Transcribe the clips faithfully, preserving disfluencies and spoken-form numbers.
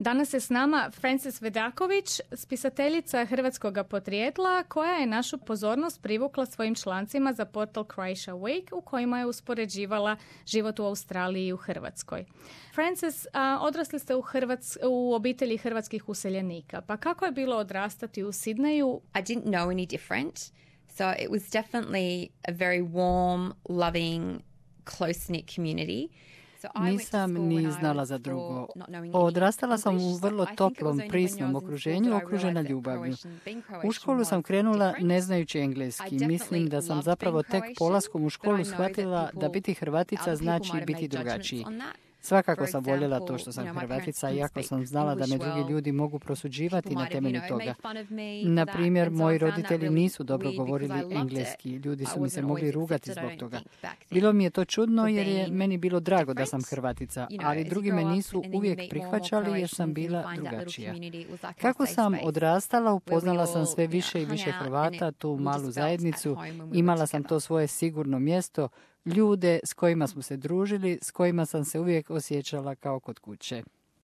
Danas je s nama Frances Vidaković, spisateljica hrvatskog podrijetla, koja je našu pozornost privukla svojim člancima za portal Croatia Week, u kojima je uspoređivala život u Australiji i u Hrvatskoj. Frances, a, odrasli ste u, Hrvats- u obitelji hrvatskih useljenika, pa kako je bilo odrastati u Sidneju? I didn't know any different, so it was definitely a very warm, loving, close-knit community. Nisam ni znala za drugo. Odrastala sam u vrlo toplom, prisnom okruženju, okružena ljubavlju. U školu sam krenula ne znajući engleski. Mislim da sam zapravo tek polaskom u školu shvatila da biti Hrvatica znači biti drugačiji. Svakako sam voljela to što sam Hrvatica, iako sam znala da me drugi ljudi mogu prosuđivati na temelju toga. Na primjer, moji roditelji nisu dobro govorili engleski. Ljudi su mi se mogli rugati zbog toga. Bilo mi je to čudno jer je meni bilo drago da sam Hrvatica, ali drugi me nisu uvijek prihvaćali jer sam bila drugačija. Kako sam odrastala, upoznala sam sve više i više Hrvata, tu malu zajednicu, imala sam to svoje sigurno mjesto, ljude s kojima smo se družili, s kojima sam se uvijek osjećala kao kod kuće.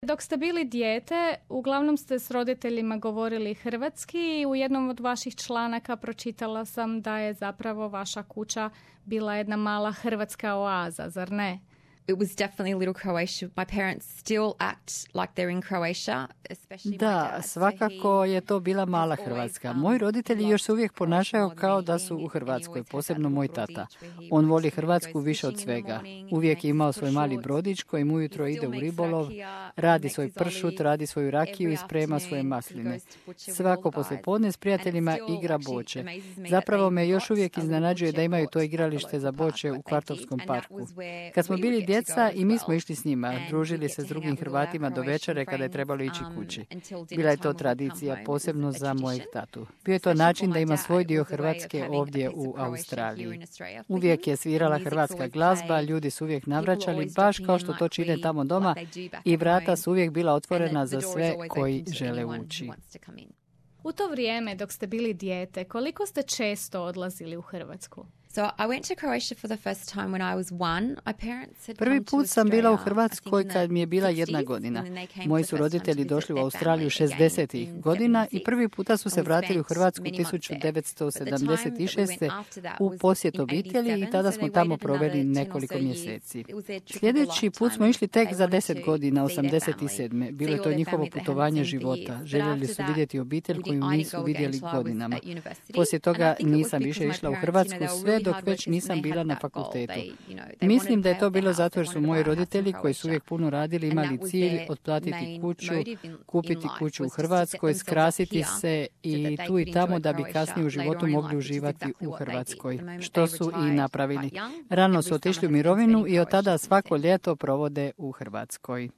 Dok ste bili dijete, uglavnom ste s roditeljima govorili hrvatski i u jednom od vaših članaka pročitala sam da je zapravo vaša kuća bila jedna mala hrvatska oaza, zar ne? It was definitely a little Croatia. My parents still act like they're in Croatia, especially my Da, dad. svakako je to bila mala Hrvatska. Moji roditelji još se uvijek ponašaju kao da su u Hrvatskoj, posebno moj tata. On voli Hrvatsku više od svega. Uvijek je imao svoj mali brodić kojim ujutro ide u ribolov, radi svoj pršut, radi svoju rakiju i sprema svoje masline. Svako poslijepodne s prijateljima igra boče. Zapravo me još uvijek iznenađuje da imaju to igralište za boče u Kvartovskom parku. Kad smo bili djeca i mi smo išli s njima, družili se s drugim Hrvatima do večere kada je trebalo ići kući. Bila je to tradicija, posebno za mojeg tatu. Bio je to način da ima svoj dio Hrvatske ovdje u Australiji. Uvijek je svirala hrvatska glazba, ljudi su uvijek navraćali, baš kao što to čine tamo doma, i vrata su uvijek bila otvorena za sve koji žele ući. U to vrijeme, dok ste bili dijete, koliko ste često odlazili u Hrvatsku? So I went to Croatia for the first time when I was one. My parents had Prvi come to put sam bila u Australia, Hrvatskoj I think in kad mi je bila the jedna sixties, godina. and then they came Moji for su the first time roditelji to došli u visit their Australiju family again šezdesetih in godina i seventy-six. prvi puta su se And we vratili u spent Hrvatsku many months there. tisuću devetsto But the time sedamdeset that we šeste. went after that u was posjet in obitelji i eighty-seven, tada so smo they tamo waited proveli another ten or nekoliko so years. mjeseci. It was their trip of a Sljedeći put smo lifetime išli tek and za they deset wanted godina, to see their osamdeset sedme. family, Bilo see je all to their njihovo family they hadn't putovanje seen for života. years. But Željeli after su that, vidjeti obitelj we koju didn't- I nisu didn't go vidjeli again till I was godinama. at university. Poslije And I toga think it was nisam because više my išla u parents, you know, Hrvatsku they were sve really dok hard već workers and nisam they bila had na that goal. fakultetu. They, you know, they Mislim wanted da je to to pay off bilo their zato jer house, su they moji wanted to buy a house in roditelji koji su uvijek Croatia. puno radili And imali that was cilj their otplatiti main kuću, motive in- kupiti in life kuću u was to set Hrvatskoj, themselves up skrasiti here se so i that they tu i could tamo enjoy da bi Croatia kasnije u later životu on in mogli life, which is uživati exactly u what they did. Hrvatskoj, The moment što they su i retired napravili. quite young, Rano every su otišli u summer has been mirovinu spent in i od tada Croatia svako since then. ljeto provode u Hrvatskoj.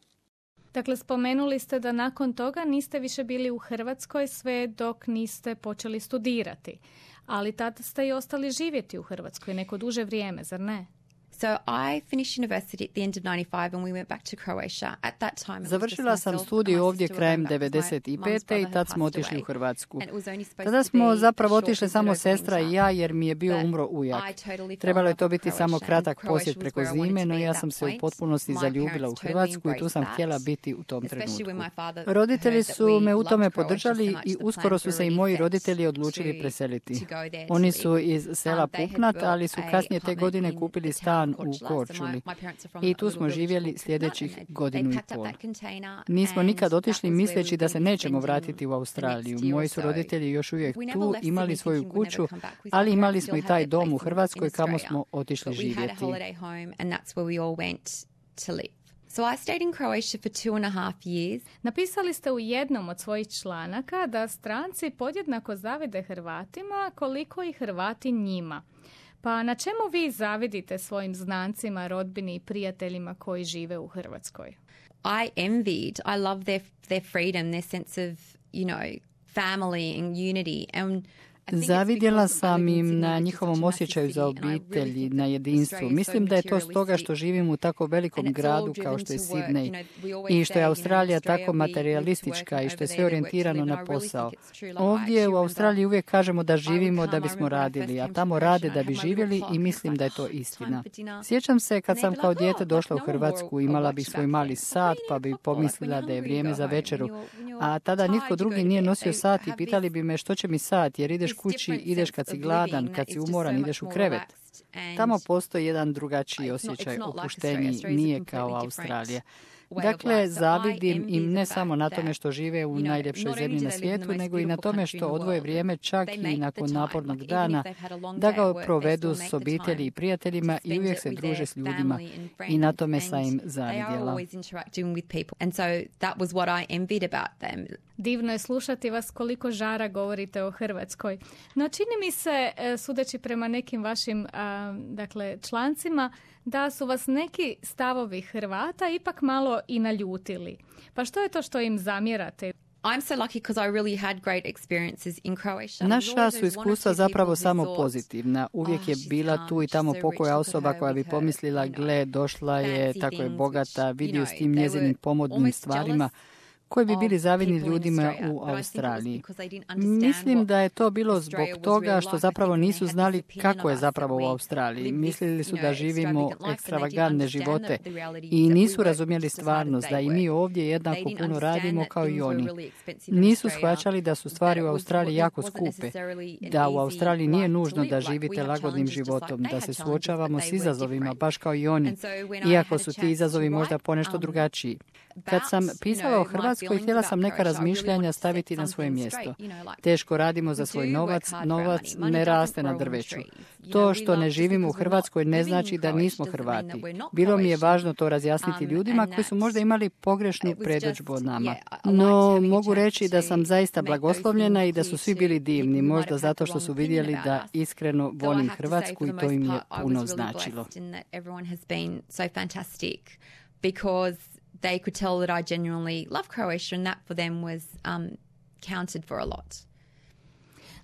Dakle, spomenuli ste da nakon toga niste više bili u Hrvatskoj sve dok niste počeli studirati. Ali tada ste i ostali živjeti u Hrvatskoj neko duže vrijeme, zar ne? So I finished university at the end of ninety-five and we went back to Croatia. At that time it was just Završila sam myself and studij my ovdje sister were krajem going back because my devedeset mum's pete brother i had tad smo passed otišli away. u Hrvatsku. And it was only supposed Tada to smo be a zapravo short otišli visit samo over sestra i winter. ja jer mi je bio But umro ujak. I totally fell Trebalo je in to love with biti samo Croatia kratak and Croatia posjet was preko where I wanted zime, to no be ja at sam that se u point. potpunosti My zaljubila u parents totally Hrvatsku i tu sam embraced htjela that. biti u tom Especially when trenutku. my father Roditelji heard that su we me u loved tome Croatia so podržali much, i the uskoro plans su were se i already moji set roditelji odlučili to- preseliti. to go there to Oni live. su iz sela Um, they had Pupnat, built ali su a kasnije te apartment godine in kupili the town stan u Korčula, so my- Korčuli. my parents are from I a tu little smo village živjeli called Pupnat, sljedećih and they- godinu they i packed up pol. that container Nismo and nikad that otišli was where we misleći were da gonna se be nećemo spending vratiti u the Australiju. next year Moji or su so. roditelji još uvijek We never tu, left imali Sydney svoju thinking we'd never kuću, come back, because my ali imali parents smo i still taj had their dom u place in- Hrvatskoj in kamo Australia. smo otišli But we had a živjeti. holiday home and that's where we all went to live. So I stayed in Croatia for two and a half years. Napisali ste u jednom od svojih članaka da stranci podjednako zavide Hrvatima koliko i Hrvati njima. Pa na čemu vi zavidite svojim znancima, rodbini i prijateljima koji žive u Hrvatskoj? I envied, I love their their freedom, their sense of, you know, family and unity. And Zavidjela sam im na njihovom osjećaju za obitelji, na jedinstvu. Mislim da je to stoga što živim u tako velikom gradu kao što je Sidney i što je Australija tako materialistička i što je sve orijentirano na posao. Ovdje u Australiji uvijek kažemo da živimo da bismo radili, a tamo rade da bi živjeli i mislim da je to istina. Sjećam se kad sam kao dijete došla u Hrvatsku, imala bih svoj mali sat pa bi pomislila da je vrijeme za večeru, a tada nitko drugi nije nosio sat i pitali bi me što će mi sat, jer ideš kući, ideš kad si gladan, kad si umoran, ideš u krevet. Tamo postoji jedan drugačiji osjećaj opuštenja, nije kao Australija. Dakle, zavidim im ne samo na tome što žive u najljepšoj zemlji na svijetu, nego i na tome što odvoje vrijeme čak i nakon napornog dana, da ga provedu s obitelji i prijateljima i uvijek se druže s ljudima. I na tome sam im zavidjela. Divno je slušati vas koliko žara govorite o Hrvatskoj. No čini mi se, sudeći prema nekim vašim a, dakle, člancima, da su vas neki stavovi Hrvata ipak malo i naljutili. Pa što je to što im zamjerate? I'm so lucky because I really had great experiences in Croatia. Naša su iskustva zapravo samo pozitivna. Uvijek je bila tu i tamo pokoja osoba koja bi pomislila, gle, došla je, tako je bogata, vidio s tim njezinim pomodnim stvarima, koji bi bili zavidni ljudima u Australiji. Mislim da je to bilo zbog toga što zapravo nisu znali kako je zapravo u Australiji. Mislili su da živimo ekstravagantne živote i nisu razumjeli stvarnost da i mi ovdje jednako puno radimo kao i oni. Nisu shvaćali da su stvari u Australiji jako skupe, da u Australiji nije nužno da živite lagodnim životom, da se suočavamo s izazovima baš kao i oni, iako su ti izazovi možda ponešto drugačiji. Kad sam pisala o Hrvatskoj, htjela sam neka razmišljanja staviti na svoje mjesto. Teško radimo za svoj novac, novac ne raste na drveću. To što ne živimo u Hrvatskoj ne znači da nismo Hrvati. Bilo mi je važno to razjasniti ljudima koji su možda imali pogrešnu predodžbu od nama. No, mogu reći da sam zaista blagoslovljena i da su svi bili divni, možda zato što su vidjeli da iskreno volim Hrvatsku i to im je puno značilo. They could tell that I genuinely love Croatia and that for them was um, counted for a lot.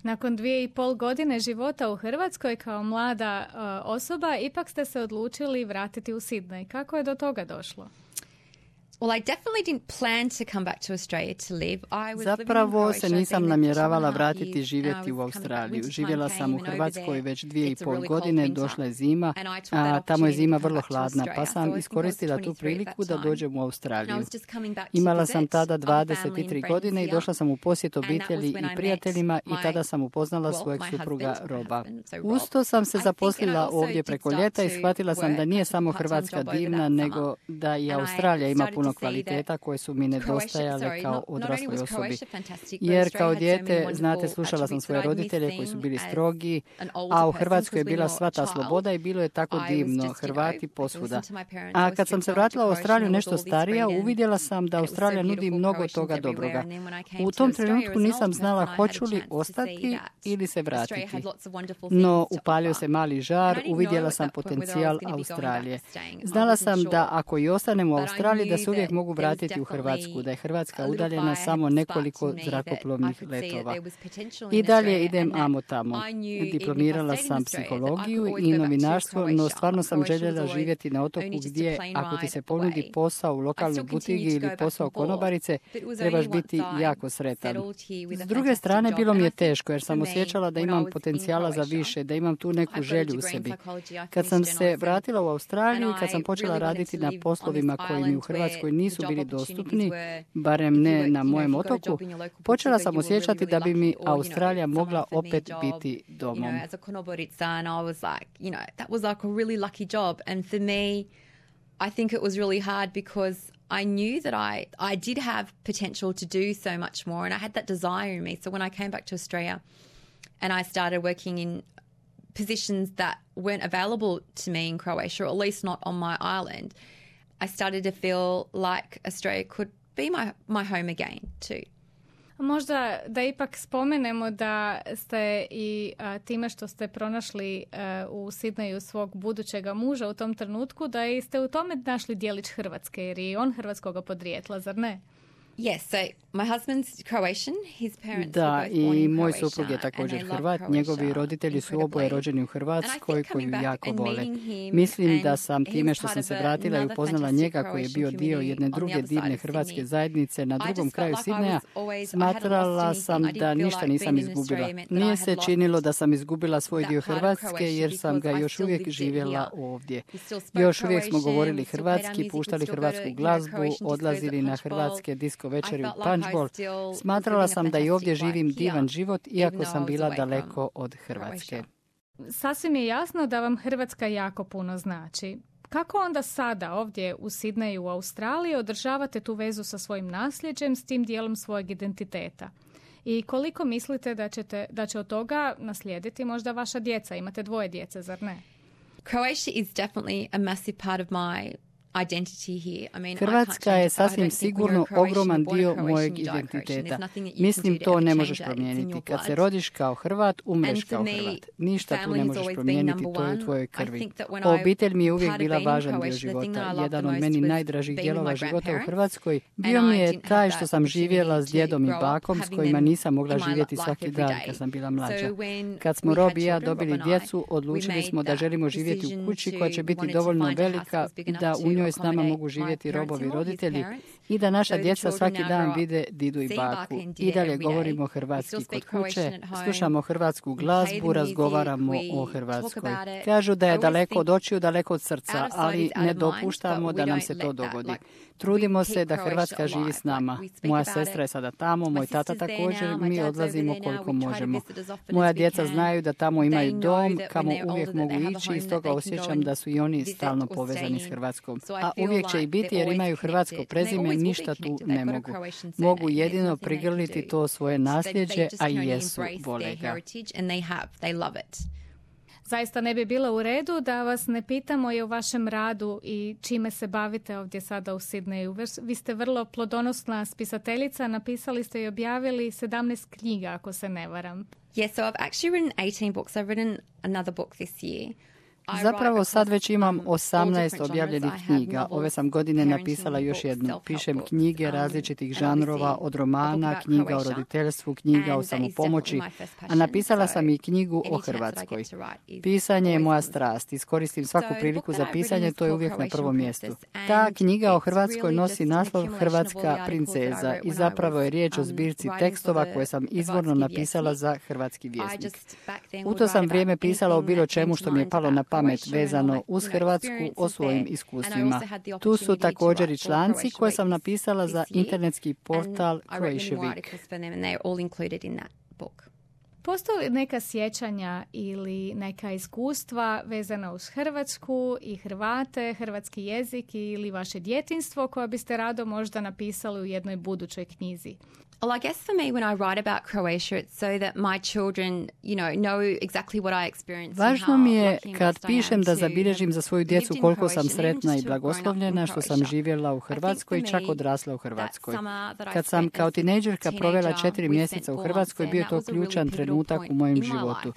Nakon dvije i pol godine života u Hrvatskoj kao mlada uh, osoba, ipak ste se odlučili vratiti u Sidney. Kako je do toga došlo? Well, I definitely didn't plan to come back to Australia to live. I was Zapravo se nisam namjeravala vratiti živjeti u Australiju. Živjela sam u Hrvatskoj već dvije i pol godine, došla je zima, a tamo je zima vrlo hladna, pa sam iskoristila tu priliku da dođem u Australiju. Imala sam tada dvadeset tri godine i došla sam u posjet obitelji i prijateljima i tada sam upoznala svojeg supruga Roba. Usto sam se zaposlila ovdje preko ljeta i shvatila sam da nije samo Hrvatska divna, nego da i Australija ima puno kvaliteta koje su mi nedostajale kao odrasloj osobi. Jer kao dijete, znate, slušala sam svoje roditelje koji su bili strogi, a u Hrvatskoj je bila sva ta sloboda i bilo je tako divno, Hrvati posvuda. A kad sam se vratila u Australiju nešto starija, uvidjela sam da Australija nudi mnogo toga dobroga. U tom trenutku nisam znala hoću li ostati ili se vratiti. No, upalio se mali žar, uvidjela sam potencijal Australije. Znala sam da ako i ostanem u Australiji, da se uvijek mogu vratiti u Hrvatsku, da je Hrvatska udaljena samo nekoliko zrakoplovnih letova. I dalje idem amo tamo. Diplomirala sam psihologiju i novinarstvo, no stvarno sam željela živjeti na otoku gdje, ako ti se ponudi posao u lokalnoj butigi ili posao konobarice, trebaš biti jako sretan. S druge strane, bilo mi je teško jer sam osjećala da imam potencijala za više, da imam tu neku želju u sebi. Kad sam se vratila u Australiju i kad sam počela raditi na poslovima koji mi u Hrvatskoj nisu bili dostupni, barem ne na mojem otoku, počela sam osjećati da bi mi Australija mogla opet biti domom. I think it was really hard because I knew that I, I did have potential to do so much more and I had that desire in me. So when I came back to Australia and I started working in positions that weren't available to me in Croatia, or at least not on my island, I started to feel like Australia could be my, my home again too. Možda da ipak spomenemo da ste i a, time što ste pronašli a, u Sidneju svog budućega muža u tom trenutku, da ste u tome našli dijelić Hrvatske, jer je on hrvatskoga podrijetla, zar ne? Yes, so my husband's Croatian. His parents Da, were both born i in moj Croatia, suprug je and također they love Hrvat. Croatia Njegovi roditelji su oboje incredibly. rođeni u And I Hrvatskoj, think koju coming back jako and vole. meeting him, Mislim da and sam time he's što sam part se of a- vratila i another upoznala fantastic njega koji je bio Croatian dio community jedne on the druge other side divne of hrvatske Sydney. zajednice na I drugom just kraju felt like I Sidneja, was always- I hadn't smatrala lost sam anything. I da didn't feel ništa like nisam being in izgubila. Australia meant that Nije I se had lost činilo da sam izgubila svoj that dio part of Hrvatske Croatia jer sam ga because I još still uvijek lived it živjela here. ovdje. We still spoke Još uvijek smo Croatian, govorili we still played our hrvatski, music, we'd puštali still go to, hrvatsku you know, glazbu, Croatian discos odlazili at na Punch Bowl. hrvatske disko večeri I u felt like I Punch Bowl. still was Smatrala living a sam da i ovdje fantastic živim life here, divan život, even iako though I sam was bila away daleko from od Hrvatske. Croatia. Sasvim je jasno da vam Hrvatska jako puno znači. Kako onda sada ovdje u Sidneju u Australiji održavate tu vezu sa svojim nasljeđem, s tim dijelom svojeg identiteta? I koliko mislite da, ćete, da će od toga naslijediti možda vaša djeca? Imate dvoje djece, zar ne? Croatia is definitely a massive part of my identity here. I mean, Hrvatska je sasvim sigurno ogroman dio mojeg identiteta. Mislim, to ne možeš promijeniti. Kad se rodiš kao Hrvat, umreš kao Hrvat. Ništa tu ne možeš promijeniti, to je u tvojoj krvi. Obitelj mi je uvijek bila važan dio života. Jedan od meni najdražih dijelova života u Hrvatskoj bio mi je taj što sam živjela s djedom i bakom s kojima nisam mogla živjeti svaki dan kad sam bila mlađa. Kad smo Rob i ja dobili djecu, odlučili smo da želimo živjeti u kući koja će biti dovoljno velika da u njoj s nama mogu živjeti Robovi roditelji i da naša djeca svaki dan vide didu i baku. I dalje govorimo hrvatski kod kuće, slušamo hrvatsku glazbu, razgovaramo o Hrvatskoj. Kažu da je daleko od očiju, daleko od srca, ali ne dopuštamo da nam se to dogodi. Trudimo se da Hrvatska živi s nama. Moja sestra je sada tamo, moj tata također, mi odlazimo koliko možemo. Moja djeca znaju da tamo imaju dom, kamo uvijek mogu ići i stoga osjećam da su i oni stalno povezani s Hrvatskom. A uvijek će i biti jer imaju hrvatsko prezime, ništa tu ne mogu. Mogu jedino prigrliti to svoje nasljeđe, a i jesu, vole ga. Zaista ne bi bilo u redu da vas ne pitamo i o vašem radu i čime se bavite ovdje sada u Sidneju. Vi ste vrlo plodonosna spisateljica, napisali ste i objavili sedamnaest knjiga, ako se ne varam. Yeah, so I've actually written eighteen books. I've written another book this year. Zapravo sad već imam osamnaest objavljenih knjiga. Ove sam godine napisala još jednu. Pišem knjige različitih žanrova, od romana, knjiga o roditeljstvu, knjiga o samopomoći, a napisala sam i knjigu o Hrvatskoj. Pisanje je moja strast. Iskoristim svaku priliku za pisanje, to je uvijek na prvom mjestu. Ta knjiga o Hrvatskoj nosi naslov Hrvatska princeza i zapravo je riječ o zbirci tekstova koje sam izvorno napisala za Hrvatski vjesnik. U to sam vrijeme pisala o bilo čemu što mi je palo na pamet vezano uz Hrvatsku, o svojim iskustvima. Tu su također i članci koje sam napisala za internetski portal Croatia Week. Postoji li neka sjećanja ili neka iskustva vezana uz Hrvatsku i Hrvate, hrvatski jezik ili vaše djetinjstvo koja biste rado možda napisali u jednoj budućoj knjizi? Well, I guess for me, when I write about Croatia, it's so that my children, you know, know exactly what I experienced. Važno mi je kad pišem da zabilježim za svoju djecu koliko sam sretna i blagoslovljena što sam živjela u Hrvatskoj i čak odrasla u Hrvatskoj. Kad sam kao tinejdžerka provela četiri mjeseca u Hrvatskoj, bio to ključan trenutak u mojem životu.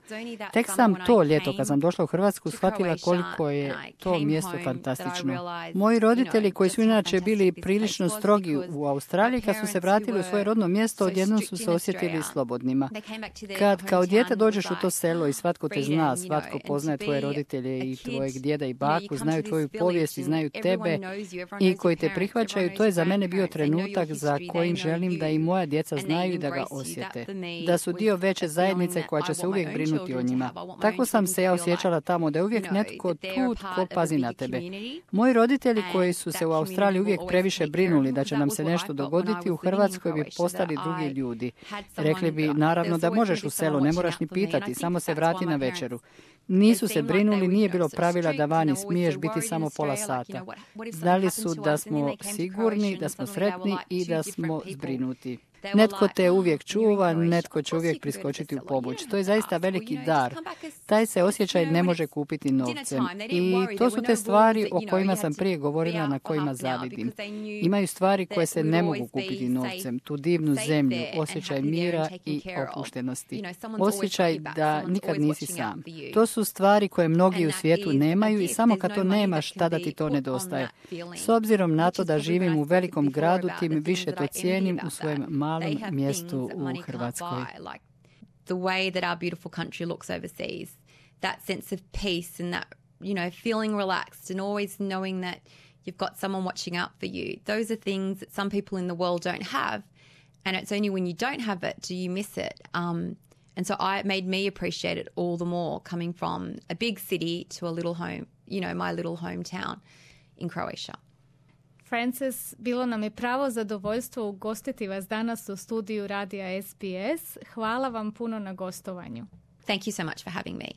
Tek sam to ljeto kad sam došla u Hrvatsku shvatila koliko je to mjesto fantastično. Moji roditelji koji su inače bili prilično strogi u Australiji, kad su se vratili u svoje rodno mjesto, odjednom su se osjetili slobodnima. Kad kao dijete dođeš u to selo i svatko te zna, svatko poznaje tvoje roditelje i tvojeg djeda i baku, znaju tvoju povijest i znaju tebe i koji te prihvaćaju, to je za mene bio trenutak za kojim želim da i moja djeca znaju i da ga osjete. Da su dio veće zajednice koja će se uvijek brinuti o njima. Tako sam se ja osjećala tamo, da je uvijek netko tu tko pazi na tebe. Moji roditelji koji su se u Australiji uvijek previše brinuli da će nam se nešto dogoditi, u Hrvatskoj bi postali drugi ljudi. Rekli bi, naravno da možeš u selo, ne moraš ni pitati, samo se vrati na večeru. Nisu se brinuli, nije bilo pravila da vani smiješ biti samo pola sata. Znali su da smo sigurni, da smo sretni i da smo zbrinuti. Netko te uvijek čuva, netko će uvijek priskočiti u pomoć. To je zaista veliki dar. Taj se osjećaj ne može kupiti novcem. I to su te stvari o kojima sam prije govorila, na kojima zavidim. Imaju stvari koje se ne mogu kupiti novcem. Tu divnu zemlju, osjećaj mira i opuštenosti. Osjećaj da nikad nisi sam. To su stvari koje mnogi u svijetu nemaju i samo kad to nemaš, tada ti to nedostaje. S obzirom na to da živim u velikom gradu, tim više to cijenim u svojem malom mjestu u Hrvatskoj. The way that our beautiful country looks overseas, that sense of peace and that, you know, feeling relaxed and always knowing that you've got someone watching out for you. Those are things that some people in the world don't have, and it's only when you don't have it do you miss it. Um, and so I, it made me appreciate it all the more coming from a big city to a little home, you know, my little hometown in Croatia. Frances, bilo nam je pravo zadovoljstvo ugostiti vas danas u studiju radija S B S. Hvala vam puno na gostovanju. Thank you so much for having me.